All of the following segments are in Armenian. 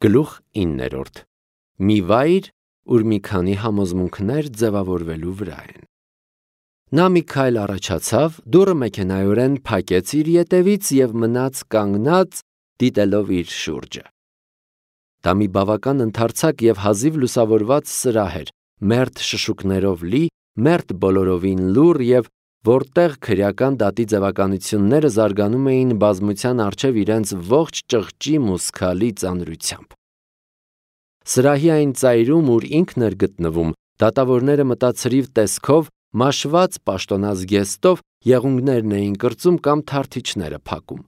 Գլուխ 9. Մի վայր, ուր մի քանի համոզմունքներ ձևավորվելու վրա են։ Նա մի քայլ առաջացավ, դուռը մեքենայորեն փակեց իր ետևից և մնաց կանգնած, դիտելով իր շուրջը։ Դա մի բավական ընդարձակ և հազիվ լուսավորված սրահ էր, մերթ շշուկներով լի, մերթ բոլորովին լուռ և որտեղ քրեական դատի ձևականությունները զարգանում էին բազմության առջև իրենց ողջ ճղճի մուսքալի ծանրությամբ։ Սրահի այն ծայրում, ուր ինքն էր գտնվում, դատավորները մտածրիվ տեսքով, մաշված պաշտոնազգեստով եղունգներն էին կրծում կամ թարթիչները փակում։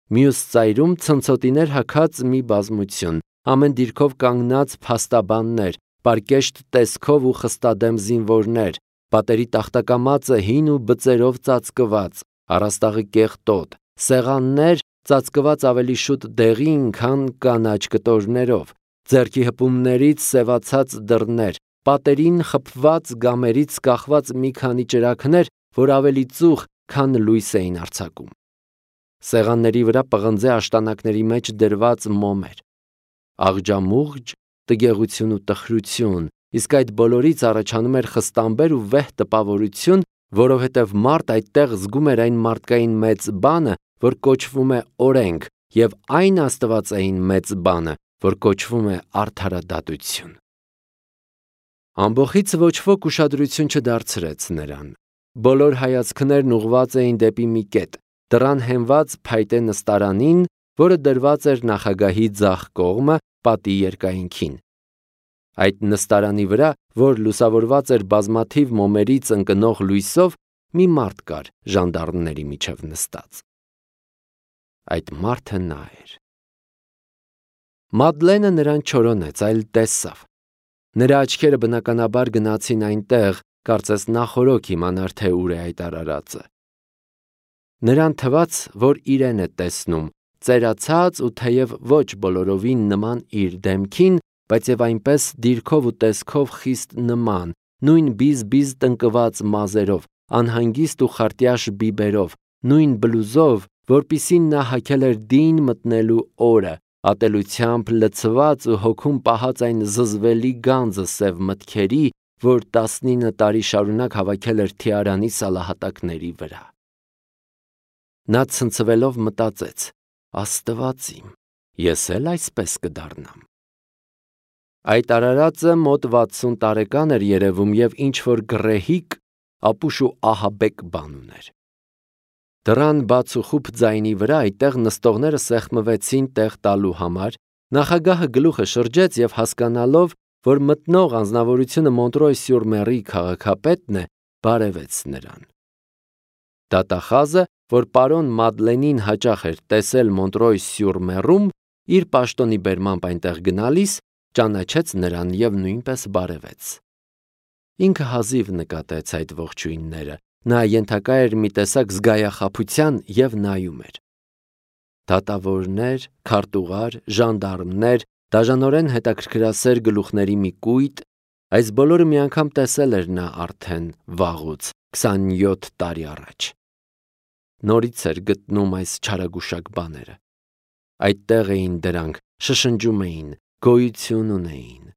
Մյուս ծայրում ցնցոտիներ հագած մի բազմություն, ամեն դիրքով կանգնած փաստաբաններ, պարկեշտ տեսքով ու խստադեմ զինվորներ, պատերի տախտակամածը հին ու բծերով ծածկված, առաստաղը կեղտոտ, սեղաններ ծածկված ավելի շուտ դեղին, քան կանաչ կտորներով, ձեռքի հպումներից սևացած դռներ, պատերին խփված գամերից կախված մի քանի ճրագներ, որ ավելի ծուխ, քան լույս էին արձակում։ Սեղանների վրա պղնձե աշտանակների մեջ դրված մոմեր։ Աղջամուղջ, տգեղություն ու տխրություն, իսկ այդ բոլորից առաջանում էր խստամբեր ու վեհ տպավորություն, որովհետև մարդ այդտեղ զգում էր այն մարդկային մեծ բանը, որ կոչվում է օրենք, և այն աստվածային մեծ բանը, որ կոչվում է արդարադատություն։ Ամբոխից ոչ ոք ուշադրություն չդարձրեց նրան։ Բոլոր հայացքներն ուղղված էին դեպի մի կետ, դռան հենված փայտե նստարանին, որը դրված էր նախագահի ձախ կողմը, պատի երկայնքին։ Այդ նստարանի վրա, որ լուսավորված էր բազմաթիվ մոմերից ընկնող լույսով, մի մարդ կար ժանդարմների միջև նստած։ Այդ մարդը նա էր։ Մադլենը նրան չորոնեց, այլ տեսավ։ Նրա աչքերը բնականաբար գնացին այնտեղ, կարծես նախօրոք իմանար, թե ուր է այդ արարածը։ Նրան թվաց, որ իրեն է տեսնում, ծերացած ու թեև ոչ բոլորովին նման իր դեմքին, բայց և այնպես դիրքով ու տեսքով խիստ նման, նույն բիզ-բիզ տնկված մազերով, անհանգիստ ու խարտյաշ բիբերով, նույն բլուզով, որպիսին նա հագել էր դին մտնելու օրը, ատելությամբ լցված ու հոգում պահած այն զզվելի գանձը սև մտքերի, որ 19 տարի շարունակ հավաքել էր Թիարանի սալահատակների վրա։ Նա ցնցվելով մտածեց. Աստված իմ, ես էլ այսպես կդառնամ։ Այդ արարածը մոտ 60 տարեկան էր երևում և ինչ-որ գռեհիկ, ապուշ ու ահաբեկ բան ուներ։ Դռան բաց ու խուփ ձայնի վրա այդտեղ նստողները սեղմվեցին տեղ տալու համար, նախագահը գլուխը շրջեց և հասկանալով, որ մտնող անձնավորությունը Մոնտրոյ-Սյուր-Մերի քաղաքապետն է, բարևեց նրան։ Դատախազը, որ պարոն Մադլենին հաճախ էր տեսել Մոնտրոյ-Սյուր-Մերում, իր պաշտոնի բերմամբ այնտեղ գնալիս, ճանաչեց նրան և նույնպես բարևեց։ Ինքը հազիվ նկատեց այդ ողջույնները, նա ենթակա էր մի տեսակ զգայախաբության և նայում էր։ Դատավորներ, քարտուղար, ժանդարմներ, դաժանորեն հետաքրքրասեր գլուխների մի կույտ, այս բոլորը մի անգամ տեսել էր նա արդեն վաղուց, 27 տարի առաջ։ Նորից էր գտնում այս չարագուշակ բաները։ Այդտեղ էին դրանք, շշնջում էին, գոյություն ունեին։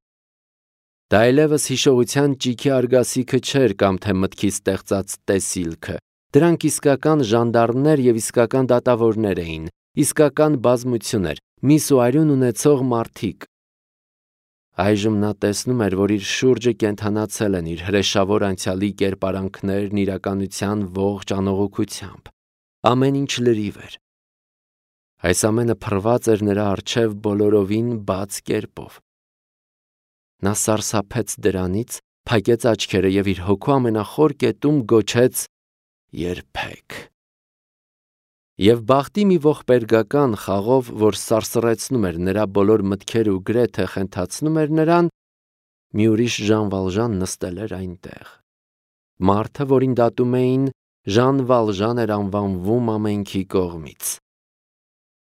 Դա այլևս հիշողության ճիքի արգասիքը չէր կամ թե մտքի ստեղծած տեսիլքը, դրանք իսկական ժանդարմներ և իսկական դատավորներ էին, իսկական բազմություն էր, միս ու արյուն ունեցող մարդիկ։ Այժմ նա տեսնում էր, որ իր շուրջը կենդանացել են իր հրեշավոր անցյալի կերպարանքներն իրականության ողջ անողոքությամբ։ Ամեն ինչ լրիվ էր։ Այս ամենը փռված էր նրա առջև բոլորովին բաց կերպով։ Նա սարսափեց դրանից, փակեց աչքերը և իր հոգու ամենախոր կետում գոչեց. երբեք։ Եվ բախտի մի ողբերգական խաղով, որ սարսռեցնում էր նրա բոլոր մտքերը ու գրեթե խենթացնում էր նրան, մի ուրիշ Ժան Վալժան նստել էր այնտեղ։ Մարդը, որին դատում էին, Ժան Վալժան էր անվանվում ամենքի կողմից։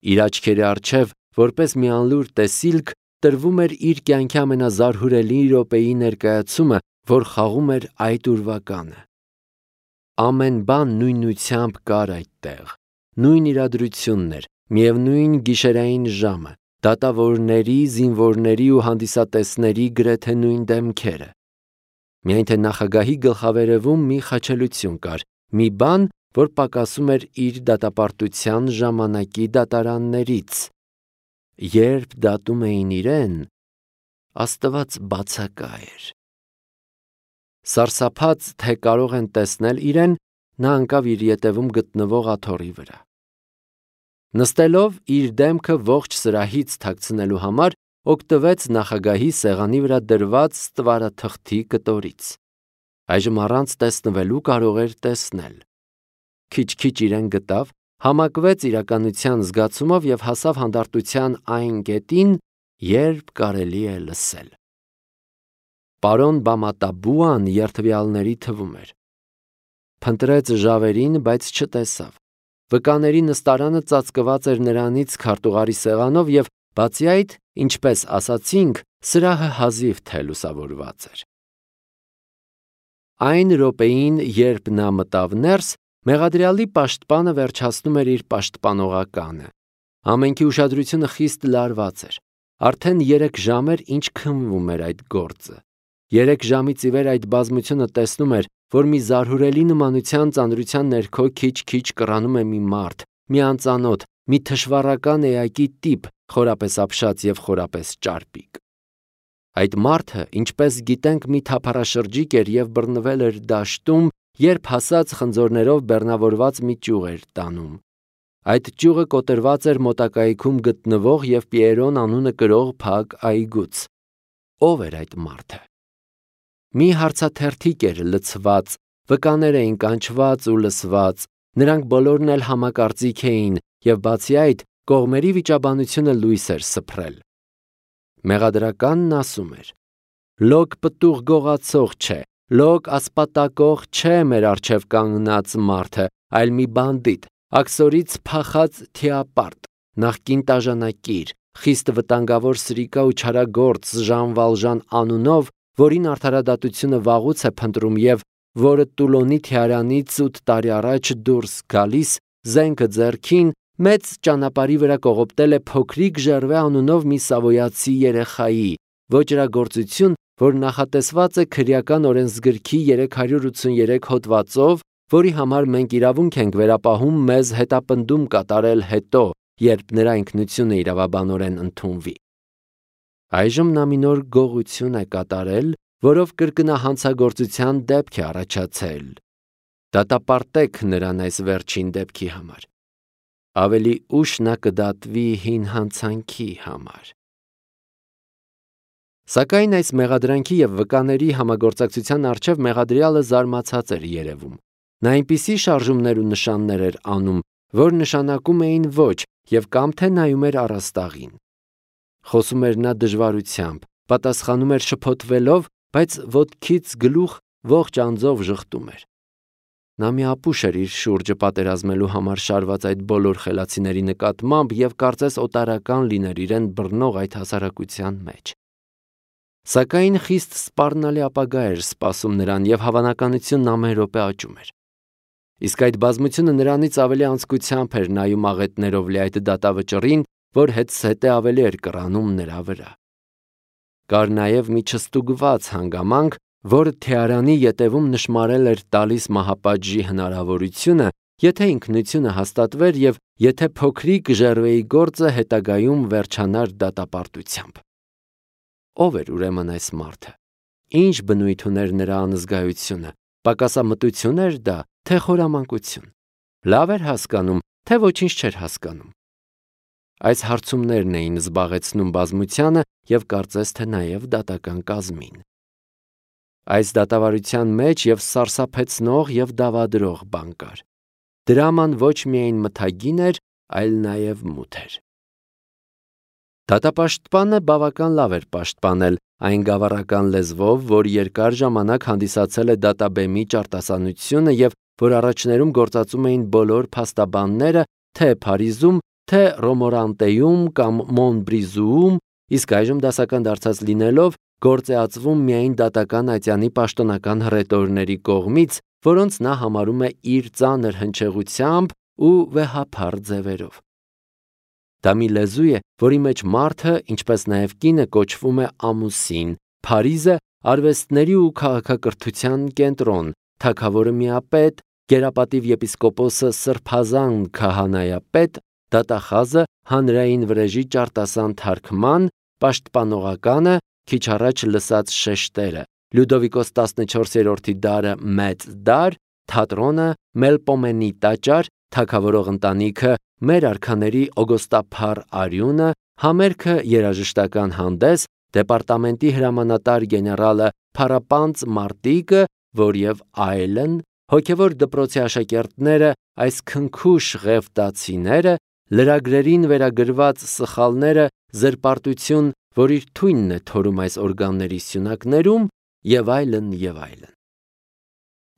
Իր աչքերի առջև, որպես մի անլուր տեսիլք, տրվում էր իր կյանքի ամենազարհուրելի րոպեի ներկայացումը, որ խաղում էր այդ ուրվականը։ Ամեն բան նույնությամբ կար այդտեղ, նույն իրադրությունն էր, միևնույն գիշերային ժամը, դատավորների, զինվորների ու հանդիսատեսների գրեթե նույն դեմքերը։ Միայն թե նախագահի գլխավերևում մի խաչելություն կար, մի բան, որ պակասում էր իր դատապարտության ժամանակի դատարաններից։ Երբ դատում էին իրեն, Աստված բացակա էր։ Սարսափած, թե կարող են տեսնել իրեն, նա ընկավ իր ետևում գտնվող աթոռի վրա։ Նստելով իր դեմքը ողջ սրահից թաքցնելու համար, օգտվեց նախագահի սեղանի վրա դրված ստվարաթղթի կտորից։ Այժմ առանց տեսնվելու կարող էր տեսնել։ Քիչ-քիչ իրեն գտավ, համակվեց իրականության զգացումով և հասավ հանդարտության այն կետին, երբ կարելի է լսել։ Պարոն Բամատաբուան երդվյալների թվում էր։ Փնտրեց ժավերին, բայց չտեսավ։ Վկաների նստարանը ծածկված էր նրանից քարտուղարի սեղանով և բացի այդ, ինչպես ասացինք, սրահը հազիվ թե լուսավորված էր։ Այն րոպեին, երբ նա մտավ ներս, մեղադրյալի պաշտպանը վերջացնում էր իր պաշտպանողականը։ Ամենքի ուշադրությունը խիստ լարված էր։ Արդեն 3 ժամ էր, ինչ քննվում էր այդ գործը։ 3 ժամից ի վեր այդ բազմությունը տեսնում էր, որ մի զարհուրելի նմանության ծանրության ներքո քիչ-քիչ կռանում է մի մարդ, մի անծանոթ, մի թշվառական էակի տիպ, խորապես ապշած և խորապես ճարպիկ։ Այդ մարդը, ինչպես գիտենք, մի թափառաշրջիկ էր և բռնվել էր դաշտում, երբ հասած խնձորներով բեռնավորված մի ճյուղ էր տանում։ Այդ ճյուղը կոտրված էր մոտակայքում գտնվող և Պիերոն անունը կրող փակ այգուց։ Ո՞վ էր այդ մարդը։ Մի հարցաթերթիկ էր լցված, վկաներ էին կանչված ու լսված, նրանք բոլորն էլ համակարծիք էին և բացի այդ, կողմերի վիճաբանությունը լույս էր սփռել։ Մեղադրականն ասում էր. «Լոկ պտուղ գողացող չէ, լոկ ասպատակող չէ մեր առջև կանգնած մարդը, այլ մի բանդիտ, աքսորից փախած թիապարտ, նախկին տաժանակիր, խիստ վտանգավոր սրիկա ու չարագործ Ժան Վալժան անունով, որին արդարադատությունը վաղուց է փնտրում և որը Տուլոնի թիարանից 8 տարի առաջ դուրս գալիս, զենքը ձեռքին, մեծ ճանապարհի վրա կողոպտել է փոքրիկ Ժերվե անունով մի սավոյացի երեխայի, ոճրագործություն, որ նախատեսված է քրեական օրենսգրքի 383 հոդվածով, որի համար մենք իրավունք ենք վերապահում մեզ հետապնդում կատարել հետո, երբ նրա ինքնությունը իրավաբանորեն ընդունվի։ Այժմ նա մի նոր գողություն է կատարել, որով կրկնահանցագործության դեպք է առաջացել։ Դատապարտեք նրան այս վերջին դեպքի համար։ Ավելի ուշ նա կդատվի հին հանցանքի համար։ Սակայն այս մեղադրանքի և վկաների համագործակցության առջև մեղադրյալը զարմացած էր երևում։ Նա այնպիսի շարժումներ ու նշաններ էր անում, որ նշանակում էին ոչ և կամ թե նայում էր առաստաղին։ Խոսում էր նա դժվարությամբ, պատասխանում էր շփոթվելով, բայց ոտքից գլուխ ողջ անձով ժխտում էր։ Նա մի ապուշ էր իր շուրջը պատերազմելու համար շարված այդ բոլոր խելացիների նկատմամբ և կարծես օտարական լիներ իրեն բռնող այդ հասարակության մեջ։ Սակայն խիստ սպառնալի ապագա էր սպասում նրան և հավանականությունն ամեն րոպե աճում էր։ Իսկ այդ բազմությունը նրանից ավելի անձկությամբ էր նայում աղետներով լի այդ դատավճռին, որ հետզհետե ավելի էր կռանում նրա վրա։ Կար նաև մի չստուգված հանգամանք, որը թեարանի ետևում նշմարել էր տալիս մահապատժի հնարավորությունը, եթե ինքնությունը հաստատվեր և եթե փոքրիկ Ժերվեի գործը հետագայում վերջանար դատապարտությամբ։ Ո՞վ էր ուրեմն այս մարդը։ Ինչ բնույթ ուներ նրա անզգայությունը, պակասամտություն էր դա, թե խորամանկություն։ Լավ էր հասկանում, թե ոչինչ չէր հասկանում։ Այս հարցումներն էին զբաղեցնում բազմությանը և կարծես թե նաև դատական կազմին։ Այս դատավարության մեջ և սարսափեցնող և դավադրող բան կար։ Դրաման ոչ միայն մթագին էր, այլ նաև մութ էր։ Դատապաշտպանը բավական լավ էր պաշտպանել այն գավառական լեզվով, որ երկար ժամանակ հանդիսացել է դատաբեմի ճարտասանությունը և որ առաջներում գործածում էին բոլոր փաստաբանները թե Փարիզում, թե Ռոմորանտեում կամ Մոնբրիզուում, իսկ այժմ դասական դարձած լինելով գործեածվում միայն դատական ատյանի պաշտոնական հռետորների կողմից, որոնց նա համարում է իր ծանր հնչեղությամբ ու վեհափառ ձևերով։ Դա մի լեզու է, որի մեջ մարդը, ինչպես նաև կինը կոչվում է ամուսին, Փարիզը արվեստների ու քաղաքակրթության կենտրոն, թագավորը միապետ, գերապատիվ եպիսկոպոսը սրբազան քահանայապետ, դատախազը հանրային վրեժի ճարտասան թարգման, պաշտպանողականը, քիչ առաջ լսած շեշտերը, Լյուդովիկոս 14-րդի դարը մեծ դար, թատրոնը, Մելպոմենի տաճար, թագավորող ընտանիքը, մեր արքաների օգոստափառ արյունը, համերգը երաժշտական հանդես, դեպարտամենտի հրամանատար գեներալը Փարապանծ Մարտիկը, որ եւ այլն, հոգևոր դպրոցի աշակերտները, այս քնքուշ ղևտացիները, լրագրերին վերագրված սխալները, զրպարտություն, որ իր թույնն է թորում այս օրգանների սյունակներում, եւ այլն եւ այլն։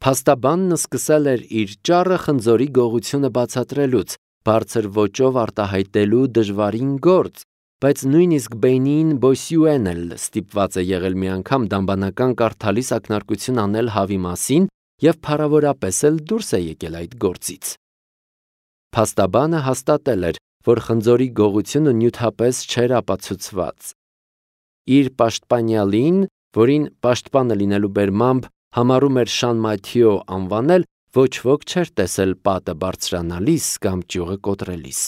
Փաստաբանն սկսել էր իր ճառը խնձորի գողությունը բացատրելուց, բարձր ոճով արտահայտելու դժվարին գործ, բայց նույնիսկ Բենին Բոսյուեն էլ ստիպված է եղել մի անգամ դամբանական կարդալիս ակնարկություն անել հավի մասին եւ փառավորապես էլ դուրս է եկել այդ գործից։ Փաստաբանը հաստատել էր, որ խնձորի գողությունը նյութապես չէր ապացուցված։ Իր պաշտպանյալին, որին պաշտպանը լինելու բերմամբ համարում էր Շան Մաթիո անվանել, ոչ ոք չէր տեսել պատը բարձրանալիս կամ ճյուղը կոտրելիս։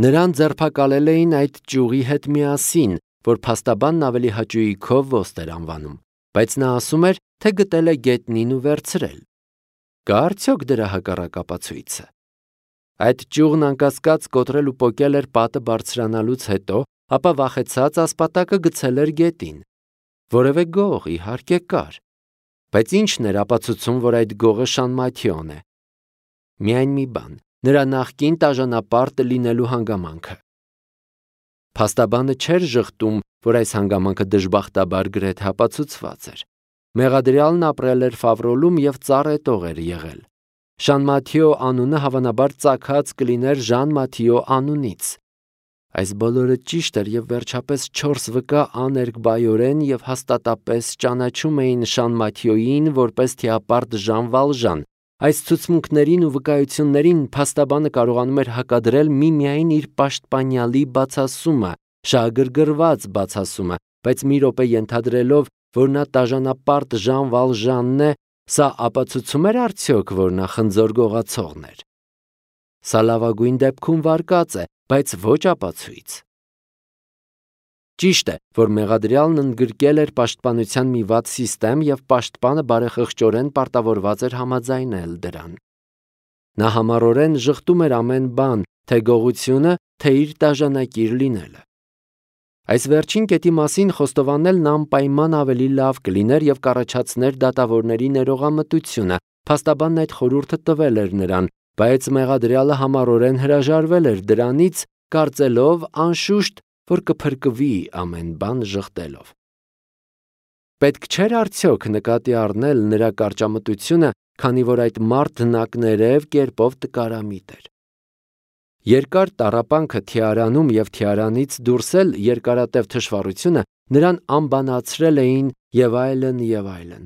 Նրան ձերբակալել էին այդ ճյուղի հետ միասին, որ փաստաբանն ավելի հաճույքով ոստ էր անվանում, բայց նա ասում էր, թե գտել է գետնին ու վերցրել։ Կա արդյոք դրա հակառակ ապացույցը։ Այդ ճյուղն անկասկած կոտրել ու պոկել էր պատը բարձրանալուց հետո, ապա վախեցած ասպատակը գցել էր գետին։ Որևէ գող իհարկե կար, բայց ի՞նչն էր ապացուցում, որ այդ գողը Շան Մաթիոն է։ Միայն մի բան, նրա նախկին տաժանապարտը լինելու հանգամանքը։ Փաստաբանը չէր ժխտում, որ այս հանգամանքը դժբախտաբար գրեթե ապացուցված էր։ Մեղադրյալն ապրել էր Ֆավրոլում եւ ծառայտող էր եղել։ Շան Մաթիո անունը հավանաբար ծագած կլիներ Ժան Մաթիո անունից։ Այս բոլորը ճիշտ էր եւ վերջապես 4 վկա աներկբայորեն եւ հաստատապես ճանաչում էին Շան Մաթիոյին որպես թիապարտ Ժան Վալժան։ Այս ցուցմունքներին ու վկայություններին փաստաբանը կարողանում էր հակադրել միմիայն իր պաշտպանյալի բացասումը, շահագրգռված բացասումը, բայց մի րոպե ենթադրելով, որ նա տաժանապարտ Ժան Վալժանն է, սա ապացուցում էր արդյոք, որ նա խնձոր գողացողն էր։ Սա լավագույն դեպքում վարկած է, բայց ոչ ապացույց։ Ճիշտ է, որ մեղադրյալն ընդգրկել էր պաշտպանության մի վատ սիստեմ եւ պաշտպանը բարեխղճորեն պարտավորված էր համաձայնել դրան։ Նա համառորեն ժխտում էր ամեն բան, թե գողությունը, թե իր տաժանակիր լինելը։ Այս վերջին կետի մասին խոստովանելն անպայման ավելի լավ կլիներ եւ կառաջացներ դատավորների ներողամտությունը։ Փաստաբանն այդ խորհուրդը տվել էր նրան, բայց մեղադրյալը համառորեն հրաժարվել էր դրանից, կարծելով անշուշտ, որ կփրկվի ամեն բան ժխտելով։ Պետք չէր արդյոք նկատի առնել նրա կարճամտությունը, քանի որ այդ մարդն ակներև կերպով տկարամիտ էր։ Երկար տառապանքը թիարանում եւ թիարանից դուրսել երկարատև թշվառությունը նրան անբանացրել էին եւ այլն եւ այլն։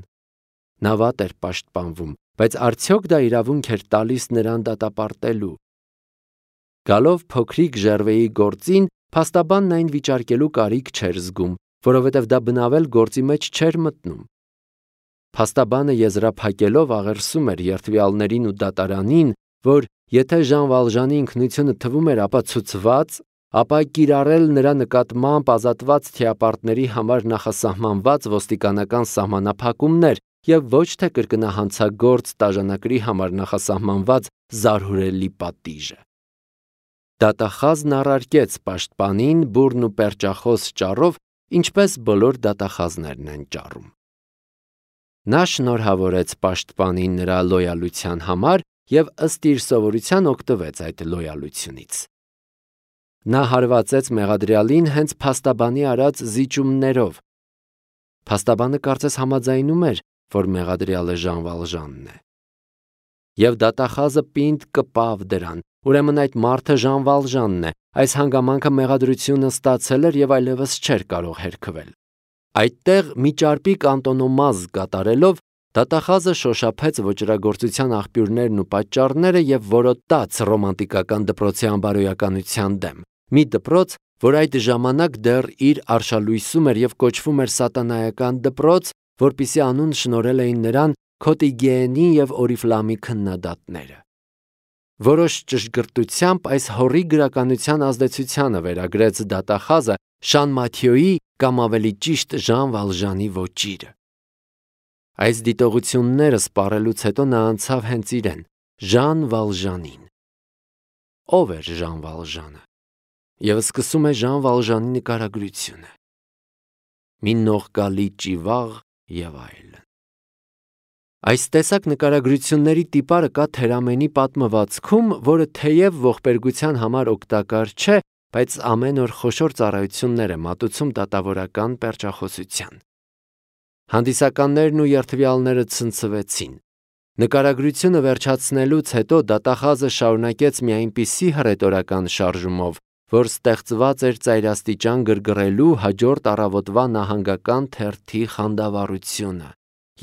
Նա վատ էր պաշտպանվում, բայց արդյոք դա իրավունք էր տալիս նրան դատապարտելու։ Գալով փոքրիկ Ժերվեի գործին, փաստաբանն այն վիճարկելու կարիք չէր զգում, որովհետև դա բնավել գործի մեջ չէր մտնում։ Փաստաբանը եզրափակելով աղերսում էր երթվյալներին ու դատարանին, որ եթե Ժան Վալժանի ինքնությունը թվում էր ապացուցված, ապա կիրառել նրա նկատմամբ ազատված թիապարտների համար նախասահմանված ոստիկանական սահմանափակումներ եւ ոչ թե կրկնահանցագործ տաժանակրի համար նախասահմանված զարհուրելի պատիժը։ Դատախազն առարկեց պաշտպանին բուրն ու պերճախոս ճառով, ինչպես բոլոր դատախազներն են ճառում։ Նա շնորհավորեց պաշտպանին նրա լոյալության համար եւ ըստ իր սովորության օգտվեց այդ լոյալությունից։ Նա հարվածեց մեղադրյալին հենց փաստաբանի արած զիջումներով։ Փաստաբանը կարծես համաձայնում էր, որ մեղադրյալը Ժան Վալժանն է։ Եվ դատախազը պինդ կպավ դրան, ուրեմն այդ մարդը Ժան Վալժանն է, այս հանգամանքը մեղադրությունը ստացել էր եւ այլևս չէր կարող հերքվել։ Այդտեղ մի ճարպիկ անտոնոմազ կատարելով դատախազը շոշափեց ոճրագործության աղբյուրներն ու պատճառները եւ որոտաց ռոմանտիկական դպրոցի անբարոյականության դեմ։ մի դպրոց, որ այդ ժամանակ դեռ իր արշալույսում էր և կոչվում էր սատանայական դպրոց, որպիսի անուն շնորհել էին նրան Քոտիգեենի և Օրիֆլամի քննադատները։ Որոշ ճշգրտությամբ այս հոռի գրականության ազդեցությանը վերագրեց դատախազը Շան Մաթիոյի կամ ավելի ճիշտ Ժան Վալժանի ոճիրը։ Այս դիտողությունները սպառելուց հետո նա անցավ հենց իրեն, Ժան Վալժանին։ Ո՞վ էր Ժան Վալժանը։ Եվ սկսում է Ժան Վալժանի նկարագրությունը։ Մի նողկալի ճիվաղ և այլն։ Այս տեսակ նկարագրությունների տիպարը կա Թերամենի պատմվածքում, որը թեև ողբերգության համար օգտակար չէ, բայց ամեն օր խոշոր ծառայություններ է մատուցում դատավորական պերճախոսության։ Հանդիսականներն ու երդվյալները ցնցվեցին։ Նկարագրությունը վերջացնելուց հետո դատախազը շարունակեց մի այնպիսի հռետորական շարժումով, որ ստեղծված էր ծայրաստիճան գրգռելու հաջորդ առավոտվա նահանգական թերթի խանդավառությունը։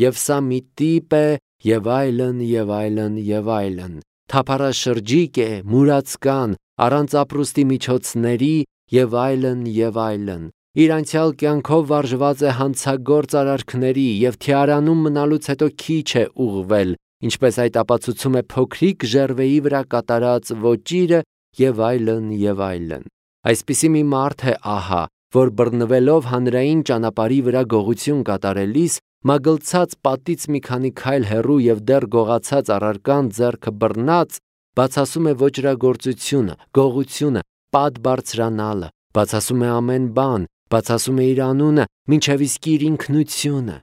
Եվ սա մի տիպ է, և այլն, և այլն, և այլն, թափառաշրջիկ է, մուրացկան, առանց ապրուստի միջոցների, և այլն, և այլն, իր անցյալ կյանքով վարժված է հանցագործ արարքների և թիարանում մնալուց հետո քիչ է ուղղվել, ինչպես այդ ապացուցում է փոքրիկ ժերվեի վրա կատարած ոճիրը, և այլն, և այլն։ Այսպիսի մի մարդ է ահա, որ բռնվելով հանրային ճանապարհի վրա գողություն կատարելիս, մագլցած պատից մի քանի քայլ հեռու և դեռ գողացած առարկան ձեռքը բռնած, բացասում է ոճրագործությունը, գողությունը, պատ բարձրանալը, բացասում է ամեն բան, բացասում է իր անունը, մինչև իսկ իր ինքնությունը։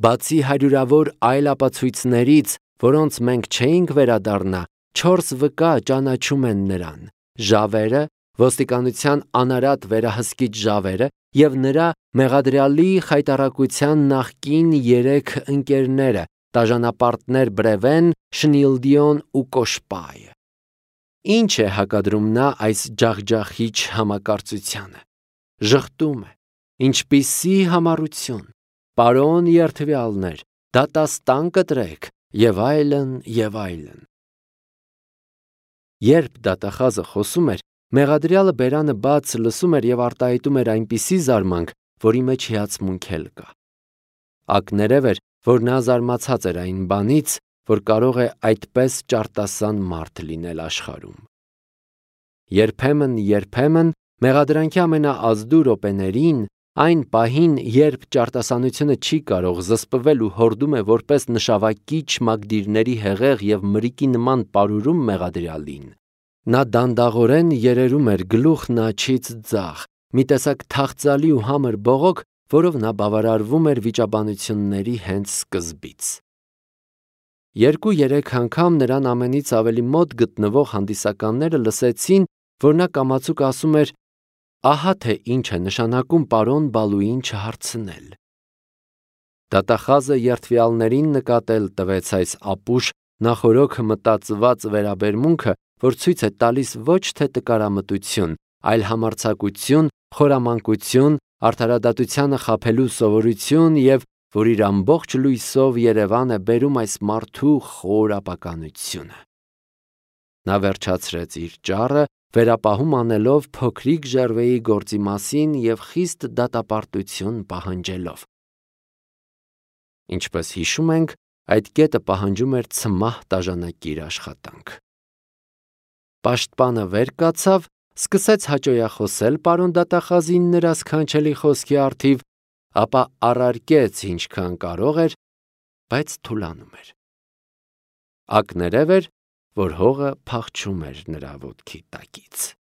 Բացի հարյուրավոր այլ ապացույցներից, որոնց մենք չէինք վերադառնա, 4 վկա ճանաչում են նրան. Ժավերը, ոստիկանության անարատ վերահսկիչ Ժավերը և նրա մեղադրյալի խայտառակության նախկին 3 ընկերները՝ տաժանապարտներ Բրևեն, Շնիլդիոն ու Կոշպայը։ Ինչ է հակադրում նա այս ջախջախիչ համակարծությանը։ Ժխտում է։ Ինչպիսի համառություն, պարոն երդվյալներ, դատաստան կտրեք, և այլն, և այլն։ Երբ դատախազը խոսում էր, մեղադրյալը բերանը բաց լսում էր և արտահայտում էր այնպիսի զարմանք, որի մեջ հիացմունք էլ կա։ Ակներև էր, որ նա զարմացած էր այն բանից, որ կարող է այդպես ճարտասան մարդ լինել աշխարհում։ Երբեմն, մեղադրանքի ամենաազդու րոպեներին, այն պահին, երբ ճարտասանությունը չի կարող զսպվել ու հորդում է որպես նշավակիչ մագդիրների հեղեղ և մրիկի նման պարուրում մեղադրյալին, նա դանդաղորեն երերում էր գլուխն աջից ձախ, մի տեսակ թախծալի ու համր բողոք, որով նա բավարարվում էր վիճաբանությունների հենց սկզբից։ 2-3 անգամ նրան ամենից ավելի մոտ գտնվող հանդիսականները լսեցին, որ նա կամացուկ ասում էր. «Ահա թե ինչ է նշանակում պարոն Բալուին չհարցնել»։ Դատախազը երդվյալներին նկատել տվեց այս ապուշ նախօրոք մտածված վերաբերմունքը, որ ցույց է տալիս ոչ թե տկարամտություն, այլ համարձակություն, խորամանկություն, արդարադատությանը խաբելու սովորություն և որ իր ամբողջ լույսով Երևան է բերում այս մարդու խոր ապականությունը։ Նա վերջացրեց իր ճառը, վերապահում անելով փոքրիկ ժերվեի գործի մասին և խիստ դատապարտություն պահանջելով։ Ինչպես հիշում ենք, այդ կետը պահանջում էր ցմահ տաժանակիր աշխատանք։ Պաշտպանը վեր կացավ, սկսեց հաճոյախոսել պարոն դատախազին նրա սքանչելի խոսքի առթիվ, ապա առարկեց ինչքան կարող էր, բայց թուլանում էր։ Ակներև էր, որ հողը փախչում էր նրա ոտքի տակից։